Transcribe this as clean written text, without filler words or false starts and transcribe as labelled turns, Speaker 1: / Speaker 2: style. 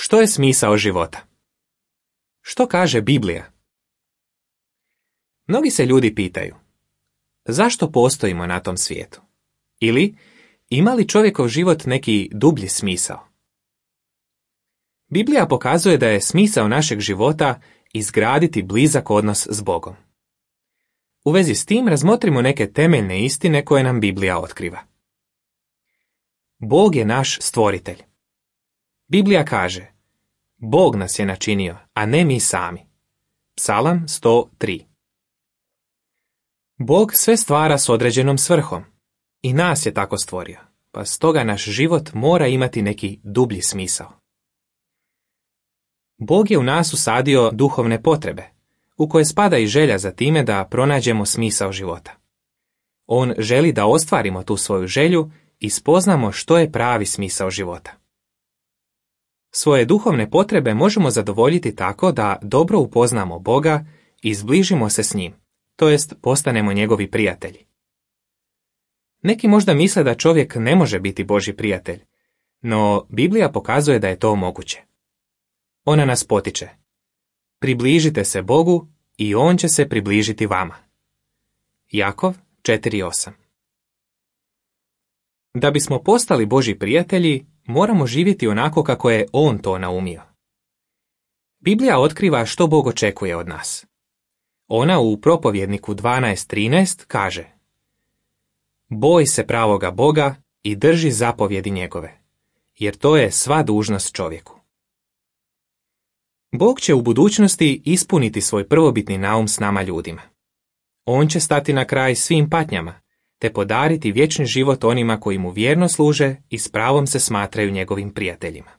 Speaker 1: Što je smisao života? Što kaže Biblija? Mnogi se ljudi pitaju, zašto postojimo na tom svijetu? Ili, ima li čovjekov život neki dublji smisao? Biblija pokazuje da je smisao našeg života izgraditi blizak odnos s Bogom. U vezi s tim razmotrimo neke temeljne istine koje nam Biblija otkriva. Bog je naš stvoritelj. Biblija kaže, Bog nas je načinio, a ne mi sami. Psalam 103. Bog sve stvara s određenom svrhom. I nas je tako stvorio, pa stoga naš život mora imati neki dublji smisao. Bog je u nas usadio duhovne potrebe, u koje spada i želja za time da pronađemo smisao života. On želi da ostvarimo tu svoju želju i spoznamo što je pravi smisao života. Svoje duhovne potrebe možemo zadovoljiti tako da dobro upoznamo Boga i zbližimo se s njim, to jest postanemo njegovi prijatelji. Neki možda misle da čovjek ne može biti Božji prijatelj, no Biblija pokazuje da je to moguće. Ona nas potiče. Približite se Bogu i On će se približiti vama. Jakov 4:8. Da bismo postali Božji prijatelji, moramo živjeti onako kako je On to naumio. Biblija otkriva što Bog očekuje od nas. Ona u Propovjedniku 12:13 kaže: Boj se pravoga Boga i drži zapovjedi njegove, jer to je sva dužnost čovjeku. Bog će u budućnosti ispuniti svoj prvobitni naum s nama ljudima. On će stati na kraj svim patnjama, te podariti vječni život onima koji mu vjerno služe i s pravom se smatraju njegovim prijateljima.